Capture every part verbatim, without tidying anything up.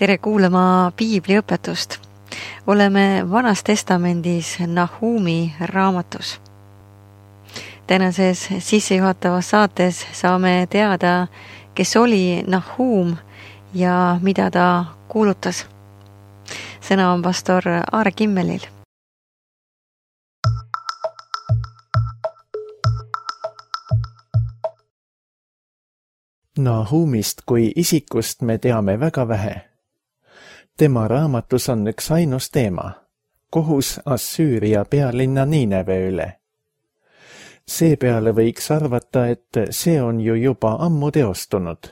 Tere kuulama piibliõpetust. Oleme Vanas Testamendis Nahumi raamatus. Tänases sissejuhatavas saates saame teada, kes oli Nahum ja mida ta kuulutas. Sõna on pastor Aare Kimmelil. Nahumist kui isikust me teame väga vähe. Tema raamatus on üks ainus teema, kohus Assüüria pealinna Niineve üle. Seepeale võiks arvata, et see on ju juba ammu teostunud.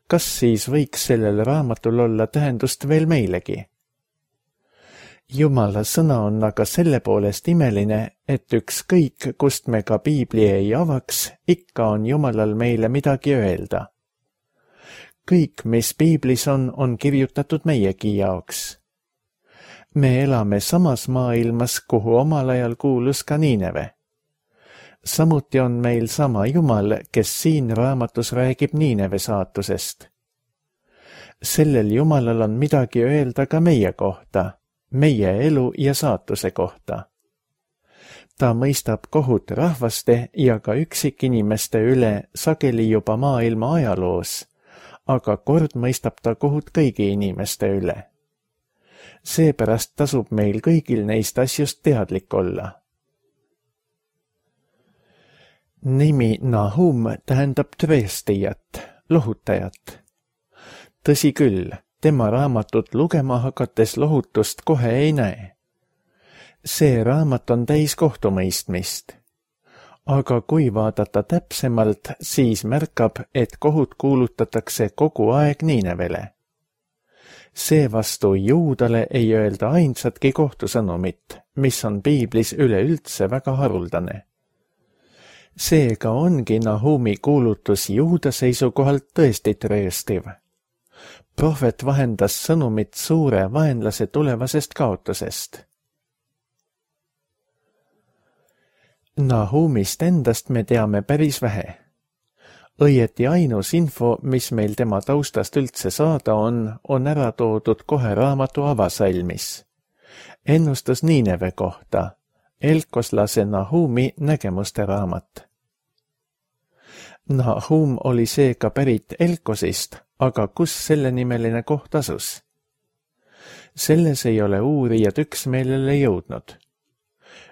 Kas siis võiks sellel raamatul olla tähendust veel meilegi? Jumala sõna on aga selle poolest imeline, et ükskõik, kust me ka piibli ei avaks, ikka on Jumalal meile midagi öelda. Kõik, mis piiblis on, on kirjutatud meiegi jaoks. Me elame samas maailmas, kuhu omal ajal kuulus ka Niineve. Samuti on meil sama Jumal, kes siin raamatus räägib Niineve saatusest. Sellel Jumalal on midagi öelda ka meie kohta, meie elu ja saatuse kohta. Ta mõistab kohut rahvaste ja ka üksikinimeste üle sageli juba maailma ajaloos, aga kord mõistab ta kohut kõigi inimeste üle. Seepärast tasub meil kõigil neist asjust teadlik olla. Nimi Nahum tähendab tõestijat, lohutajat. Tõsi küll, tema raamatut lugema hakates lohutust kohe ei näe. See raamat on täis kohtumõistmist. Aga kui vaadata täpsemalt, siis märkab, et kohut kuulutatakse kogu aeg Niinevele. Seevastu Juudale ei öelda ainsatki kohtusõnumit, mis on piiblis üleüldse väga haruldane. Seega ongi Nahumi kuulutus Juuda seisukohalt tõesti tõestiv. Prohvet vahendas sõnumit suure vaenlase tulevasest kaotusest. Nahumist endast me teame päris vähe. Õieti ainus info, mis meil tema taustast üldse saada on, on ära toodud kohe raamatu avasalmis. Ennustus Niineve kohta, elkoslase Nahumi nägemuste raamat. Nahum oli seega pärit Elkosist, aga kus selle nimeline koht asus? Selles ei ole uurijad üksmeelele jõudnud.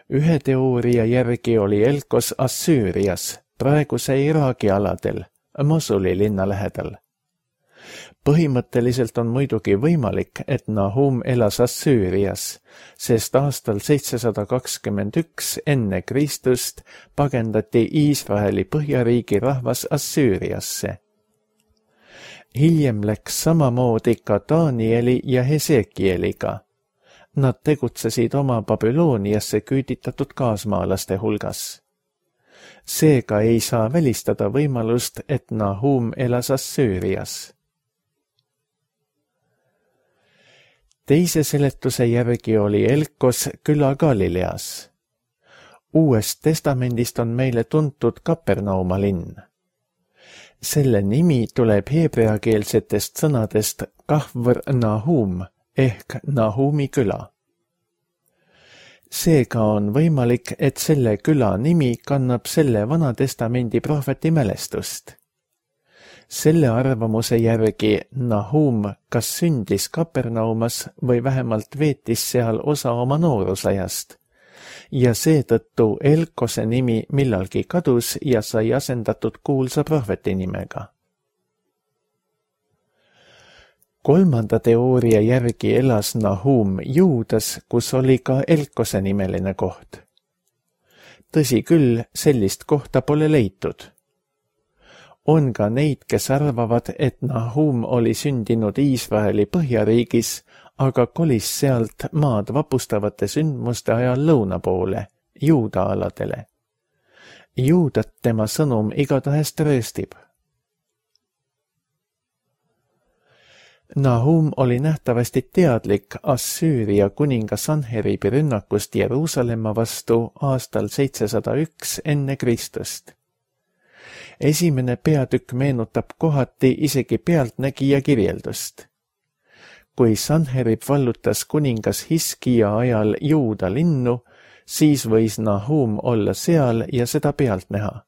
Ühe teooria järgi oli Elkos Assüürias, praeguse Iraagi aladel, Mosuli linna lähedal. Põhimõtteliselt on muidugi võimalik, et Nahum elas Assüürias, sest aastal seitsesada kakskümmend üks enne Kristust pagendati Iisraeli põhjariigi rahvas Assüüriasse. Hiljem läks samamoodi ka Danieli ja Hesekieliga. Nad tegutsesid oma Babyloniasse küüditatud kaasmaalaste hulgas. Seega ei saa välistada võimalust, et Nahum elas Assüürias. Teise seletuse järgi oli Elkos küla Galileas. Uuest testamendist on meile tuntud Kapernauma linn. Selle nimi tuleb heebreakeelsetest sõnadest Kahvr Nahum ehk Nahumi küla. Seega on võimalik, et selle küla nimi kannab selle Vanatestamendi prohveti mälestust. Selle arvamuse järgi Nahum kas sündis Kapernaumas või vähemalt veetis seal osa oma noorusajast ja seetõttu Elkose nimi millalgi kadus ja sai asendatud kuulsa prohveti nimega. Kolmanda teooria järgi elas Nahum Juudas, kus oli ka Elkose nimeline koht. Tõsi küll, sellist kohta pole leitud. On ka neid, kes arvavad, et Nahum oli sündinud Iisraeli põhjariigis, aga kolis sealt maad vapustavate sündmuste ajal lõuna poole, Juuda aladele. Juudat tema sõnum igatahes tõestib. Nahum oli nähtavasti teadlik Assüüria kuninga Sanheribi rünnakust Jeruusalemma vastu aastal seitsesada üks enne Kristust. Esimene peatükk meenutab kohati isegi pealtnägija kirjeldust. kui Sanherib vallutas kuningas Hiskija ajal Juuda linnu, siis võis Nahum olla seal ja seda pealt näha.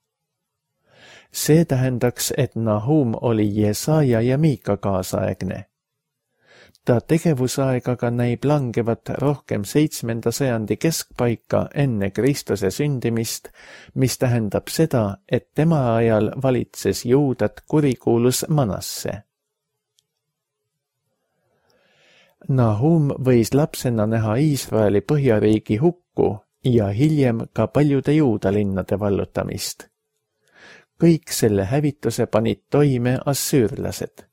See tähendaks, et Nahum oli Jesaja ja Miika kaasaegne. Ta tegevusaeg aga näib langevat rohkem seitsmenda sajandi keskpaika enne Kristuse sündimist, mis tähendab seda, et tema ajal valitses Juudat kurikuulus Manasse. Nahum võis lapsena näha Iisraeli põhjariigi hukku ja hiljem ka paljude Juuda linnade vallutamist. Kõik selle hävituse panid toime assüürlased.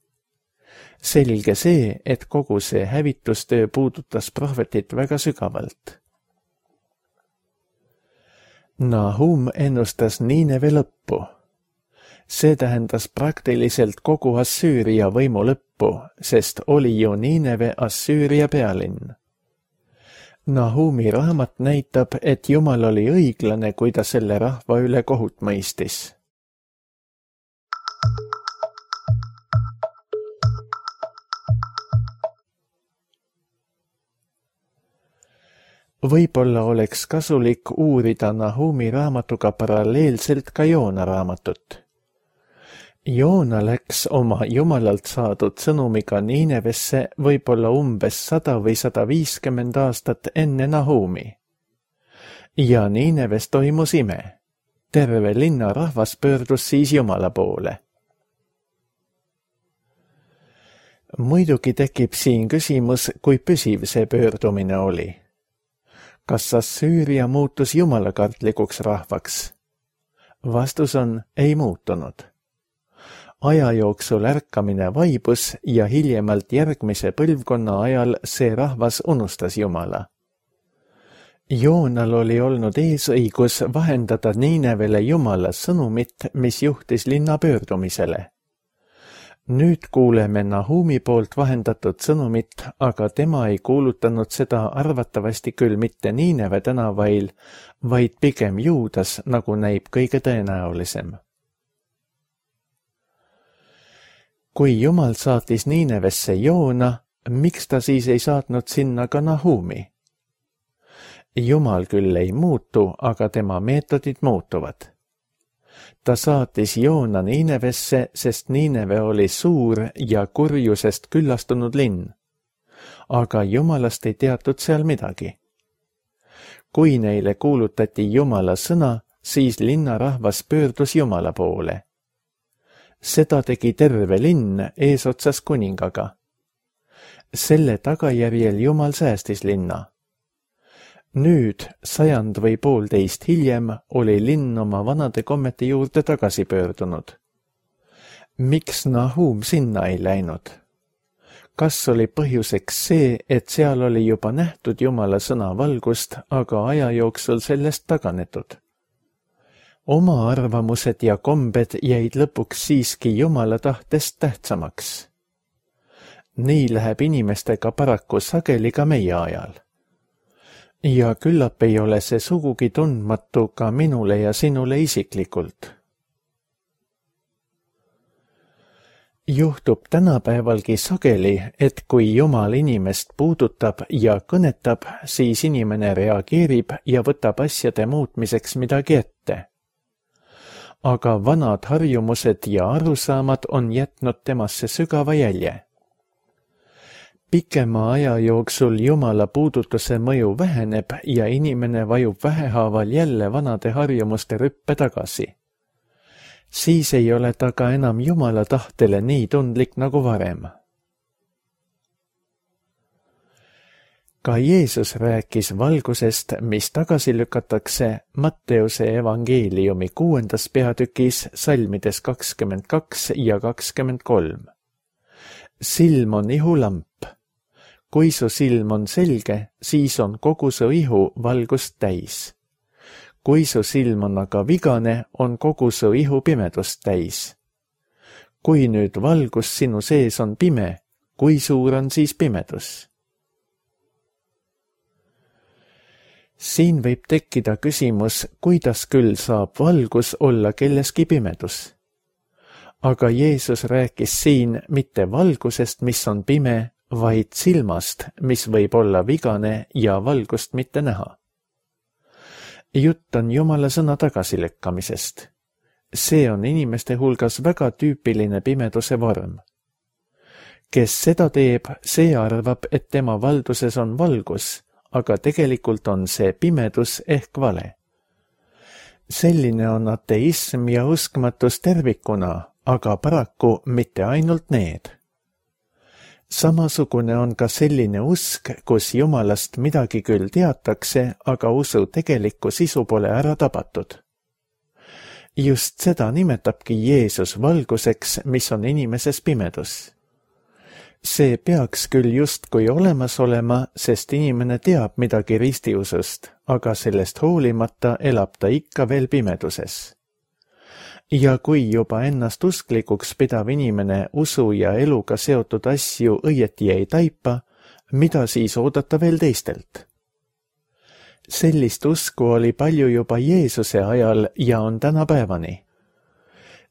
Selge see, et kogu see hävitustöö puudutas prohvetit väga sügavalt. Nahum ennustas Niineve lõppu. See tähendas praktiliselt kogu Assüüria võimu lõppu, sest oli ju Niineve Assüüria pealinn. Nahumi raamat näitab, et Jumal oli õiglane, kui ta selle rahva üle kohut mõistis. Võib-olla oleks kasulik uurida Nahumi raamatuga paralleelselt ka Joona raamatut. Joona läks oma Jumalalt saadud sõnumiga Niinevesse võib-olla umbes sada või sada viiskümmend aastat enne Nahumi. Ja Niineves toimus ime. Terve linna rahvas pöördus siis Jumala poole. Muidugi tekib siin küsimus, kui püsiv see pöördumine oli. Kas Assüüria muutus jumalakartlikuks rahvaks? Vastus on, ei muutunud. Aja jooksul ärkamine vaibus ja hiljemalt järgmise põlvkonna ajal see rahvas unustas Jumala. Joonal oli olnud eesõigus vahendada Niinevele Jumala sõnumit, mis juhtis linna pöördumisele. Nüüd kuuleme Nahumi poolt vahendatud sõnumit, aga tema ei kuulutanud seda arvatavasti küll mitte Niineve tänavail, vaid pigem Juudas, nagu näib kõige tõenäolisem. Kui Jumal saatis Niinevesse Joona, miks ta siis ei saatnud sinna ka Nahumi? Jumal küll ei muutu, aga tema meetodid muutuvad. Ta saatis Joona Niinevesse, sest Niineve oli suur ja kurjusest küllastunud linn. Aga Jumalast ei teatud seal midagi. Kui neile kuulutati Jumala sõna, siis linnarahvas pöördus Jumala poole. Seda tegi terve linn eesotsas kuningaga. Selle tagajärjel Jumal säästis linna. Nüüd, sajand või poolteist hiljem, oli linn oma vanade kommete juurde tagasi pöördunud. Miks Nahum sinna ei läinud? Kas oli põhjuseks see, et seal oli juba nähtud Jumala sõna valgust, aga aja jooksul sellest taganetud? Oma arvamused ja kombed jäid lõpuks siiski Jumala tahtest tähtsamaks. Nii läheb inimestega paraku sageli ka meie ajal. Ja küllap ei ole see sugugi tundmatu ka minule ja sinule isiklikult. Juhtub tänapäevalgi sageli, et kui Jumal inimest puudutab ja kõnetab, siis inimene reageerib ja võtab asjade muutmiseks midagi ette. Aga vanad harjumused ja arusaamad on jätnud temasse sügava jälje. Pikema aja jooksul Jumala puudutuse mõju väheneb ja inimene vajub vähehaaval jälle vanade harjumuste rüppe tagasi. Siis ei ole ta ka enam Jumala tahtele nii tundlik nagu varem. Ka Jeesus rääkis valgusest, mis tagasi lükatakse Matteuse evangeeliumi kuuendas peatükis salmides kakskümmend kaks ja kakskümmend kolm. Silm on ihulamp. Kui su silm on selge, siis on kogu su ihu valgust täis. Kui su silm on aga vigane, on kogu su ihu pimedust täis. Kui nüüd valgus sinu sees on pime, kui suur on siis pimedus? Siin võib tekkida küsimus, kuidas küll saab valgus olla kelleski pimedus. Aga Jeesus rääkis siin mitte valgusest, mis on pime, vaid silmast, mis võib olla vigane ja valgust mitte näha. Jutt on Jumala sõna tagasilükkamisest. See on inimeste hulgas väga tüüpiline pimeduse vorm. Kes seda teeb, see arvab, et tema valduses on valgus, aga tegelikult on see pimedus ehk vale. Selline on ateism ja uskmatus tervikuna, aga paraku mitte ainult need. Samasugune on ka selline usk, kus Jumalast midagi küll teatakse, aga usu tegelikku sisu pole ära tabatud. Just seda nimetabki Jeesus valguseks, mis on inimeses pimedus. See peaks küll justkui olemas olema, sest inimene teab midagi ristiusust, aga sellest hoolimata elab ta ikka veel pimeduses. Ja kui juba ennast usklikuks pidav inimene usu ja eluga seotud asju õieti ei taipa, mida siis oodata veel teistelt? Sellist usku oli palju juba Jeesuse ajal ja on tänapäevani.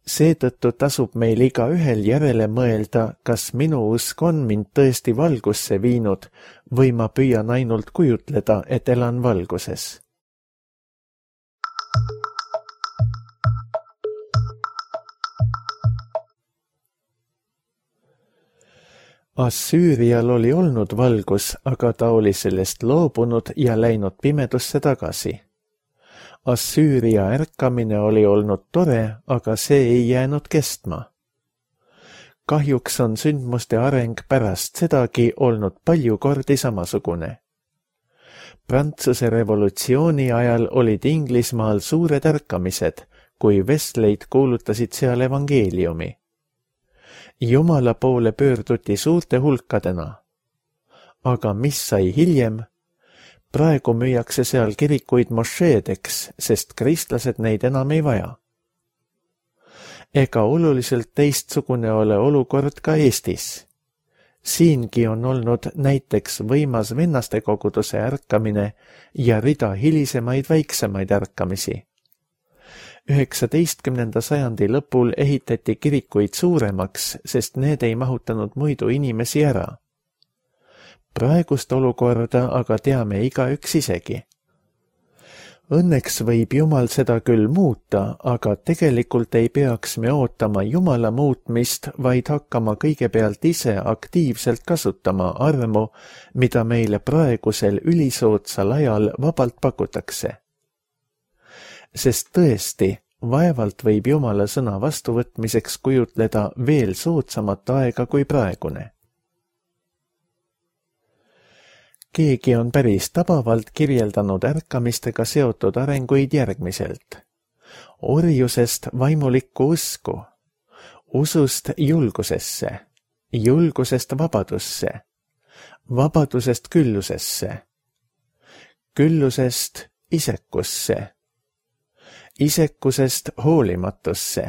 Seetõttu tasub meil iga ühel järele mõelda, kas minu usk on mind tõesti valgusse viinud või ma püüan ainult kujutleda, et elan valguses. Assüürial oli olnud valgus, aga ta oli sellest loobunud ja läinud pimedusse tagasi. Assüüria ärkamine oli olnud tore, aga see ei jäänud kestma. Kahjuks on sündmuste areng pärast sedagi olnud palju kordi samasugune. Prantsuse revolutsiooni ajal olid Inglismaal suured ärkamised, kui vestleid kuulutasid seal evangeeliumi. Jumala poole pöörduti suurte hulkadena. Aga mis sai hiljem? Praegu müüakse seal kirikuid mošeedeks, sest kristlased neid enam ei vaja. Ega oluliselt teistsugune ole olukord ka Eestis. Siingi on olnud näiteks võimas vennastekoguduse ärkamine ja rida hilisemaid väiksemaid ärkamisi. üheksateistkümnenda sajandi lõpul ehitati kirikuid suuremaks, sest need ei mahutanud muidu inimesi ära. Praegust olukorda aga teame igaüks isegi. Õnneks võib Jumal seda küll muuta, aga tegelikult ei peaks me ootama Jumala muutmist, vaid hakkama kõigepealt ise aktiivselt kasutama armu, mida meile praegusel ülisoodsal ajal vabalt pakutakse. Sest tõesti, vaevalt võib Jumala sõna vastuvõtmiseks kujutleda veel soodsamat aega kui praegune. Keegi on päris tabavalt kirjeldanud ärkamistega seotud arenguid järgmiselt. Orjusest vaimulikku usku, usust julgusesse, julgusest vabadusse, vabadusest küllusesse, küllusest isekusse, isekusest hoolimatusse,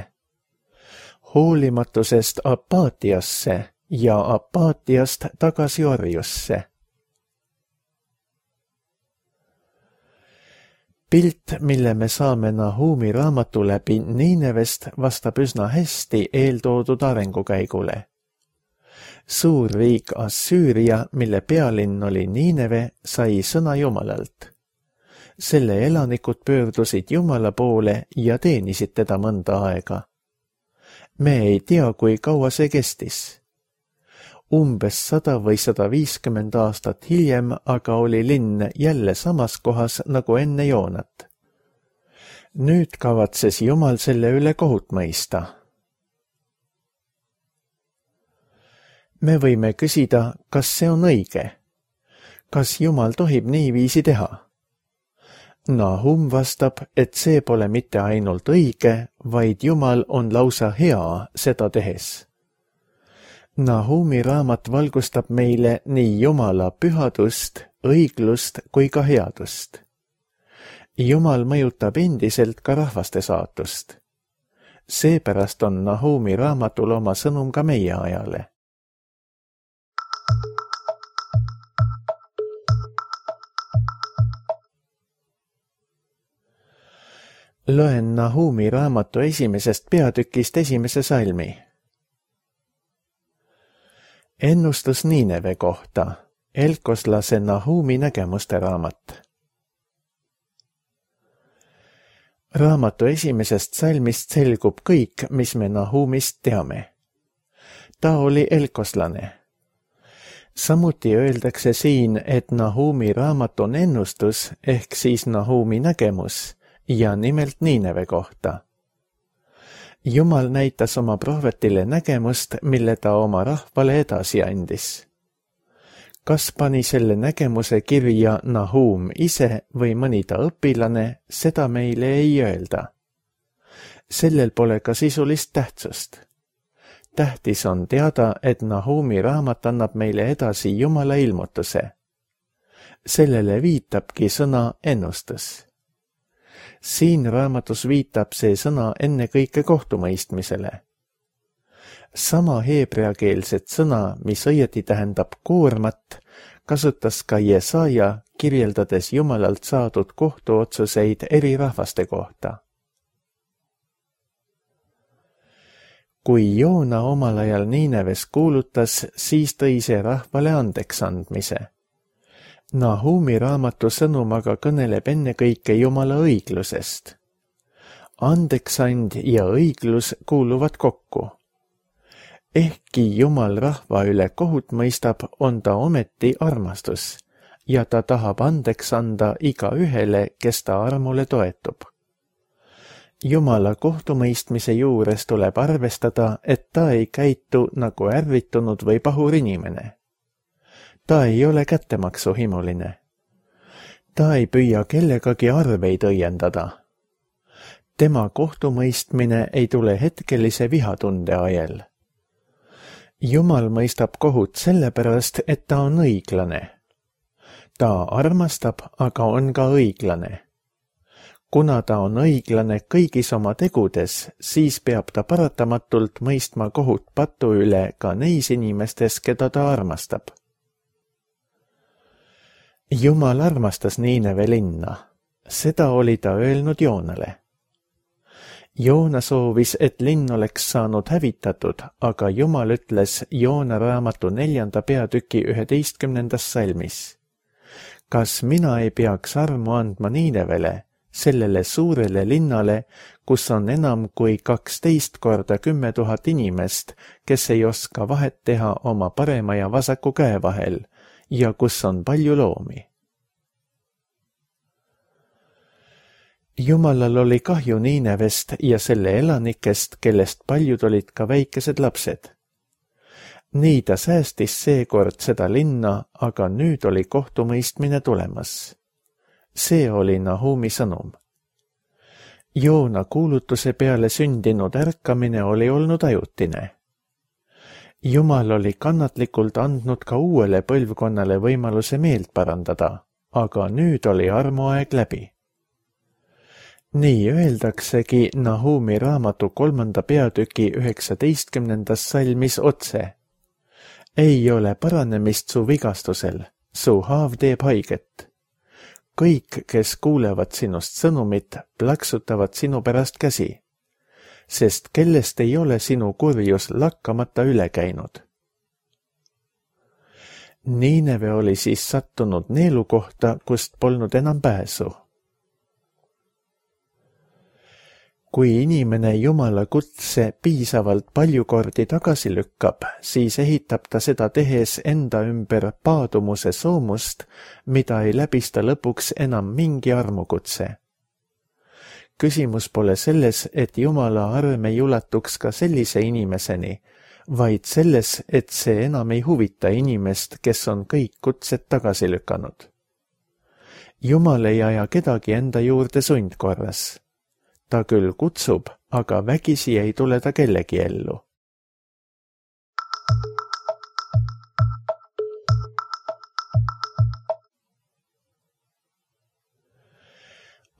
hoolimatusest apaatiasse ja apaatiast tagasi orjusse. Pilt, mille me saame Nahumi raamatu läbi Niinevest, vastab üsna hästi eeltoodud arengukäigule. Suur riik Assüüria, mille pealinn oli Niineve, sai sõna Jumalalt. Selle elanikud pöördusid Jumala poole ja teenisid teda mõnda aega. Me ei tea, kui kaua see kestis. Umbes sada või sada viiskümmend aastat hiljem aga oli linn jälle samas kohas nagu enne Joonat. Nüüd kavatses Jumal selle üle kohut mõista. Me võime küsida, kas see on õige. Kas Jumal tohib niiviisi teha? Nahum vastab, et see pole mitte ainult õige, vaid Jumal on lausa hea seda tehes. Nahumi raamat valgustab meile nii Jumala pühadust, õiglust kui ka headust. Jumal mõjutab endiselt ka rahvaste saatust. Seepärast on Nahumi raamatul oma sõnum ka meie ajale. Loen Nahumi raamatu esimesest peatükist esimese salmi. Ennustus Niineve kohta, elkoslase Nahumi nägemuste raamat. Raamatu esimesest salmist selgub kõik, mis me Nahumist teame. Ta oli elkoslane. Samuti öeldakse siin, et Nahumi raamat on ennustus ehk siis Nahumi nägemus ja nimelt Niineve kohta. Jumal näitas oma prohvetile nägemust, mille ta oma rahvale edasi andis. Kas pani selle nägemuse kirja Nahum ise või mõni ta õpilane, seda meile ei öelda. Sellel pole ka sisulist tähtsust. Tähtis on teada, et Nahumi raamat annab meile edasi Jumala ilmutuse. Sellele viitabki sõna ennustus. Siin raamatus viitab see sõna ennekõike kohtumõistmisele. Sama heebreakeelset sõna, mis õieti tähendab koormat, kasutas ka Jesaja, kirjeldades Jumalalt saadud kohtuotsuseid eri rahvaste kohta. Kui Joona omal ajal Niineves kuulutas, siis tõi see rahvale andeks andmise. Nahumi raamatu sõnum aga kõneleb ennekõike Jumala õiglusest. Andeksand ja õiglus kuuluvad kokku. Ehkki Jumal rahva üle kohut mõistab, on ta ometi armastus ja ta tahab andeks anda iga ühele, kes ta armule toetub. Jumala kohtumõistmise juures tuleb arvestada, et ta ei käitu nagu ärritunud või pahur inimene. Ta ei ole kättemaksuhimuline. Ta ei püüa kellegagi arveid õiendada. Tema kohtumõistmine ei tule hetkelise vihatunde ajel. Jumal mõistab kohut sellepärast, et ta on õiglane. Ta armastab, aga on ka õiglane. Kuna ta on õiglane kõigis oma tegudes, siis peab ta paratamatult mõistma kohut patu üle ka neis inimestes, keda ta armastab. Jumal armastas Niineve linna. Seda oli ta öelnud Joonale. Joona soovis, et linn oleks saanud hävitatud, aga Jumal ütles Joona raamatu neljanda peatüki üheteistkümnendas salmis. Kas mina ei peaks armu andma Niinevele, sellele suurele linnale, kus on enam kui kaksteist korda kümme tuhat inimest, kes ei oska vahet teha oma parema ja vasaku käe vahel, ja kus on palju loomi. Jumalal oli kahju Niinevest ja selle elanikest, kellest paljud olid ka väikesed lapsed. Nii ta säästis seekord seda linna, aga nüüd oli kohtumõistmine tulemas. See oli Nahumi sõnum. Joona kuulutuse peale sündinud ärkamine oli olnud ajutine. Jumal oli kannatlikult andnud ka uuele põlvkonnale võimaluse meelt parandada, aga nüüd oli armuaeg läbi. Nii öeldaksegi Nahumi raamatu kolmanda peatüki üheksateistkümnendas salmis otse. Ei ole paranemist su vigastusel, su haav teeb haiget. Kõik, kes kuulevad sinust sõnumit, plaksutavad sinu pärast käsi, sest kellest ei ole sinu kurjus lakkamata üle käinud. Niineve oli siis sattunud neelukohta, kust polnud enam pääsu. Kui inimene Jumala kutse piisavalt palju kordi tagasi lükkab, siis ehitab ta seda tehes enda ümber paadumuse soomust, mida ei läbista lõpuks enam mingi armukutse. Küsimus pole selles, et Jumala arm ei ulatuks ka sellise inimeseni, vaid selles, et see enam ei huvita inimest, kes on kõik kutsed tagasi lükanud. Jumal ei aja kedagi enda juurde sundkorras. Ta küll kutsub, aga vägisi ei tule ta kellegi ellu.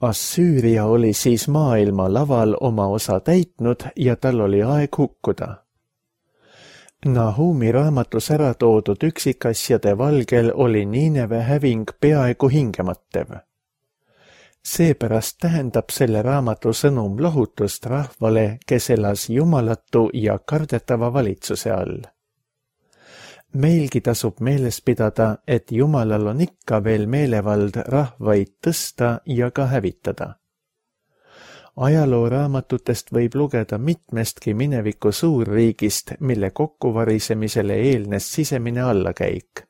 Assüüria oli siis maailma laval oma osa täitnud ja tal oli aeg hukkuda. Nahumi raamatus ära toodud üksikasjade valgel oli Niineve häving peaaegu hingemõttev. Seepärast tähendab selle raamatu sõnum lohutust rahvale, kes elas jumalatu ja kardetava valitsuse all. Meilgi tasub meeles pidada, et Jumalal on ikka veel meelevald rahvaid tõsta ja ka hävitada. Ajalooraamatutest võib lugeda mitmestki mineviku suurriigist, mille kokkuvarisemisele eelnes sisemine allakäik.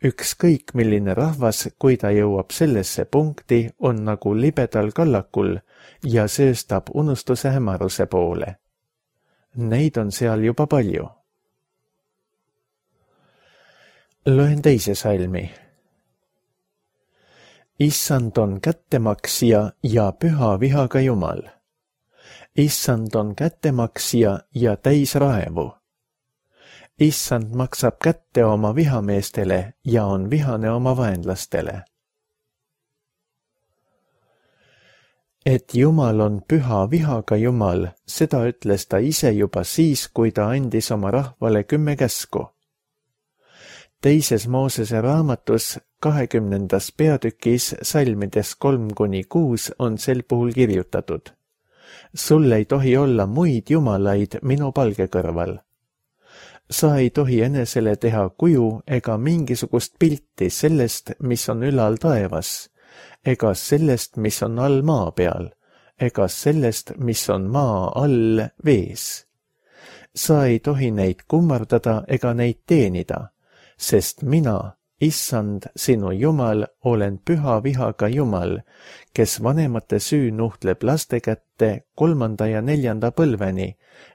Ükskõik milline rahvas, kui ta jõuab sellesse punkti, on nagu libedal kallakul ja sööstab unustuse hämaruse poole. Neid on seal juba palju. Loen teise salmi. Issand on kättemaksja ja püha vihaga Jumal. Issand on kättemaksja ja täis raevu. Issand maksab kätte oma vihameestele ja on vihane oma vaenlastele. Et Jumal on püha vihaga Jumal, seda ütles ta ise juba siis, kui ta andis oma rahvale kümme käsku. Teises Moosese raamatus kahekümnendas peatükis salmides kolm kuni kuus on sel puhul kirjutatud. Sul ei tohi olla muid jumalaid minu palge kõrval. Sa ei tohi enesele teha kuju ega mingisugust pilti sellest, mis on ülal taevas, ega sellest, mis on all maa peal, ega sellest, mis on maa all vees. Sa ei tohi neid kummardada ega neid teenida, sest mina, Issand, sinu Jumal, olen püha vihaga Jumal, kes vanemate süü nuhtleb laste kätte kolmanda ja neljanda põlveni,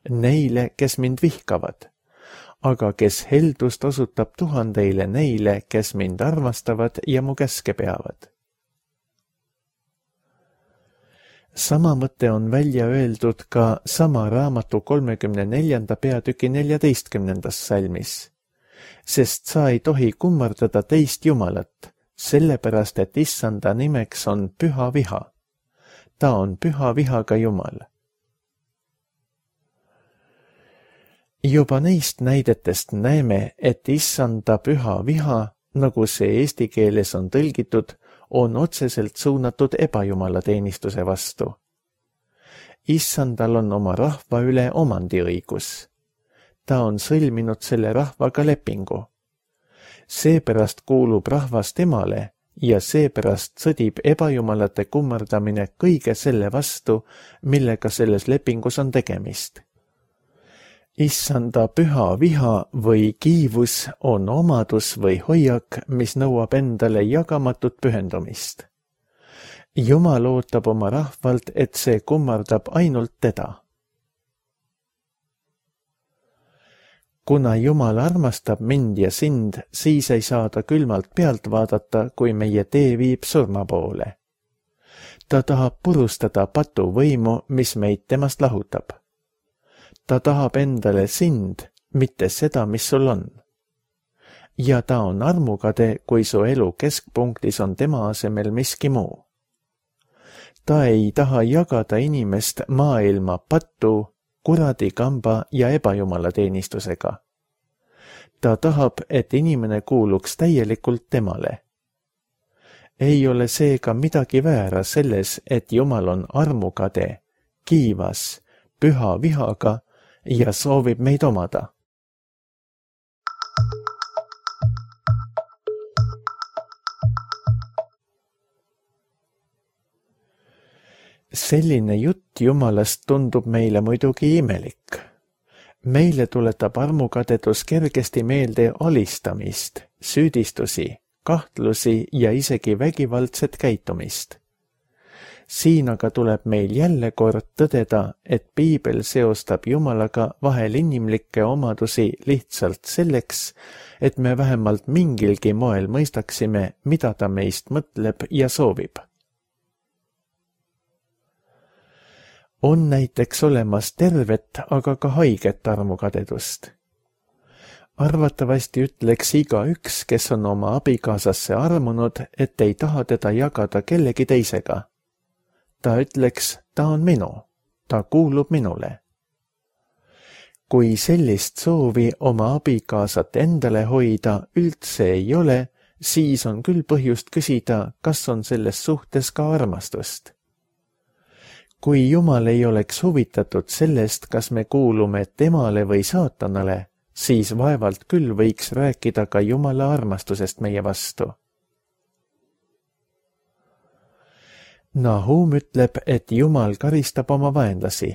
neile, kes mind vihkavad, aga kes heldust osutab tuhandeile neile, kes mind armastavad ja mu käske peavad. Sama mõte on välja öeldud ka sama raamatu kolmekümne neljanda peatüki neljateistkümnendas salmis. Sest sa ei tohi kummardada teist Jumalat, sellepärast et Issanda nimeks on püha viha. Ta on püha vihaga Jumal. Juba neist näidetest näeme, et Issanda püha viha, nagu see eesti keeles on tõlgitud, on otseselt suunatud ebajumala teenistuse vastu. Issandal on oma rahva üle omandiõigus. Ta on sõlminud selle rahvaga lepingu. Seepärast kuulub rahvas temale ja seepärast sõdib ebajumalate kummardamine kõige selle vastu, millega selles lepingus on tegemist. Issanda püha viha või kiivus on omadus või hoiak, mis nõuab endale jagamatut pühendumist. Jumal ootab oma rahvalt, et see kummardab ainult teda. Kuna Jumal armastab mind ja sind, siis ei saa ta külmalt pealt vaadata, kui meie tee viib surma poole. Ta tahab purustada patu võimu, mis meid temast lahutab. Ta tahab endale sind, mitte seda, mis sul on. Ja ta on armukade, kui su elu keskpunktis on tema asemel miski muu. Ta ei taha jagada inimest maailma patu, kuradi kamba ja ebajumala teenistusega. Ta tahab, et inimene kuuluks täielikult temale. Ei ole seega midagi väära selles, et Jumal on armukade, kiivas, püha vihaga ja soovib meid omada. Selline jutt Jumalast tundub meile muidugi imelik. Meile tuletab armukadedus kergesti meelde alistamist, süüdistusi, kahtlusi ja isegi vägivaldset käitumist. Siin aga tuleb meil jälle kord tõdeda, et Piibel seostab Jumalaga vahel inimlikke omadusi lihtsalt selleks, et me vähemalt mingilgi moel mõistaksime, mida ta meist mõtleb ja soovib. On näiteks olemas tervet, aga ka haiget armukadedust. Arvatavasti ütleks igaüks, kes on oma abikaasasse armunud, et ei taha teda jagada kellegi teisega. Ta ütleks, ta on minu, ta kuulub minule. Kui sellist soovi oma abikaasat endale hoida üldse ei ole, siis on küll põhjust küsida, kas on selles suhtes ka armastust. Kui Jumal ei oleks huvitatud sellest, kas me kuulume temale või saatanale, siis vaevalt küll võiks rääkida ka Jumala armastusest meie vastu. Nahum ütleb, et Jumal karistab oma vaenlasi.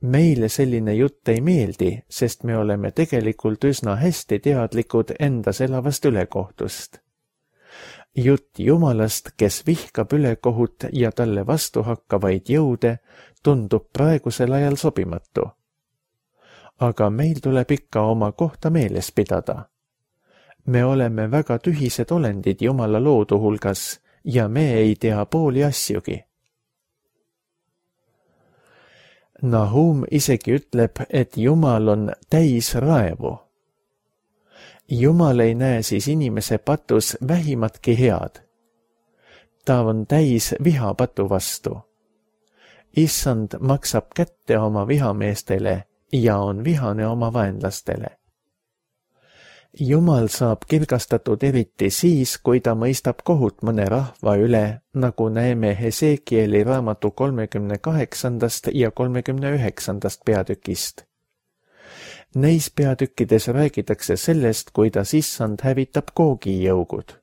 Meile selline jutt ei meeldi, sest me oleme tegelikult üsna hästi teadlikud endas elavast ülekohtust. Jutt Jumalast, kes vihkab ülekohut ja talle vastu hakkavaid jõude, tundub praegusel ajal sobimatu. Aga meil tuleb ikka oma kohta meeles pidada. Me oleme väga tühised olendid Jumala loodu hulgas ja me ei tea pooli asjugi. Nahum isegi ütleb, et Jumal on täis raevu. Jumal ei näe siis inimese patus vähimatki head. Ta on täis viha patu vastu. Issand maksab kätte oma vihameestele ja on vihane oma vaenlastele. Jumal saab kirgastatud eriti siis, kui ta mõistab kohut mõne rahva üle, nagu näeme Hesekieli raamatu kolmekümne kaheksandast ja kolmekümne üheksandast peatükist. Neis peatükkides räägitakse sellest, kuidas Issand hävitab Googi jõugud.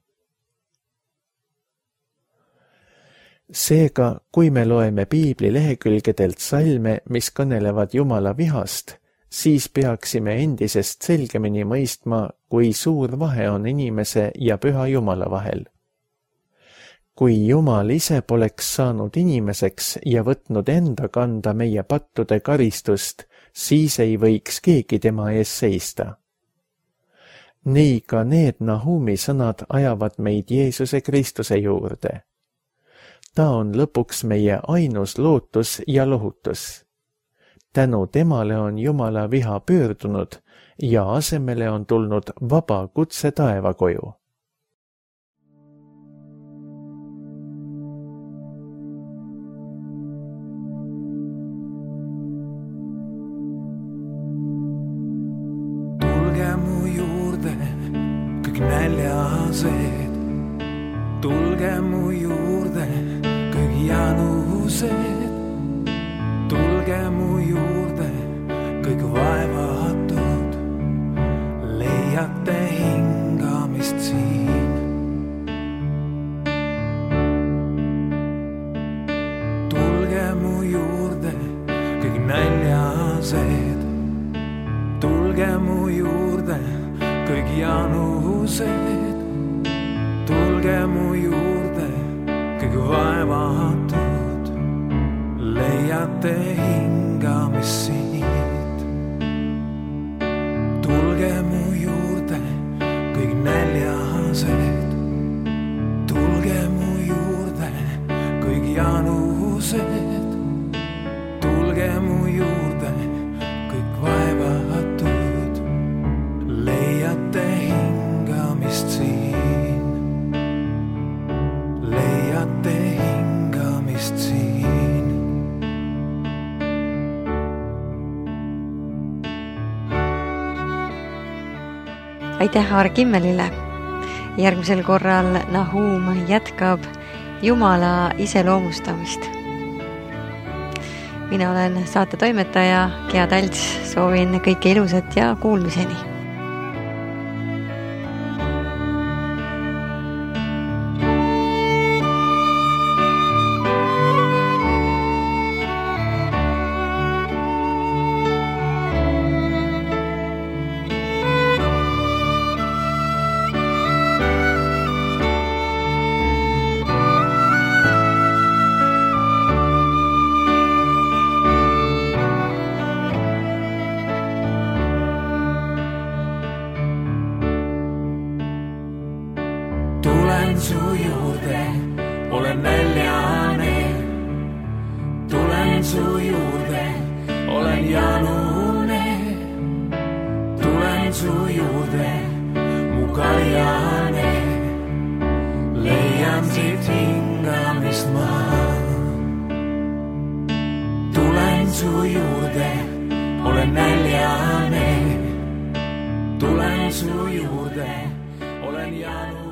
Seega, kui me loeme piibli lehekülgedelt salme, mis kõnelevad Jumala vihast, siis peaksime endisest selgemini mõistma, kui suur vahe on inimese ja püha Jumala vahel. Kui Jumal ise poleks saanud inimeseks ja võtnud enda kanda meie pattude karistust, siis ei võiks keegi tema ees seista. Nii ka need Nahumi sõnad ajavad meid Jeesuse Kristuse juurde. Ta on lõpuks meie ainus lootus ja lohutus. Tänu temale on Jumala viha pöördunud ja asemele on tulnud vaba kutse taevakoju. Tulge mu juurde, kõik näljased. Tulge mu juurde, kõik janused. Tulge mu juurde, kõik vaevatud, leiate hingamist siin. Tulge mu juurde, kõik näljased. Tulge mu juurde, kõik janused. Tulge mu juurde, kõik vaevatud, leiate hingamist siit. Tulge mu juurde, kõik näljased. Tulge mu juurde, kõik janused. Tulge mu juurde, kõik vaevatud, leiate hingamist siin. Leiate hingamist siin. Aitäh Argimmelile. Järgmisel korral Nahum jätkab Jumala iseloomustamist. Mina olen saate toimetaja Gea Talts, soovin kõike ilusat ja kuulmiseni. Tulen su juurde, olen näljane. Tulen su juurde, olen janune. Tulen su juurde, mu kaljane. Leian siit hingamist ma. Tulen su juurde, olen näljane. Tulen su juurde, olen janune.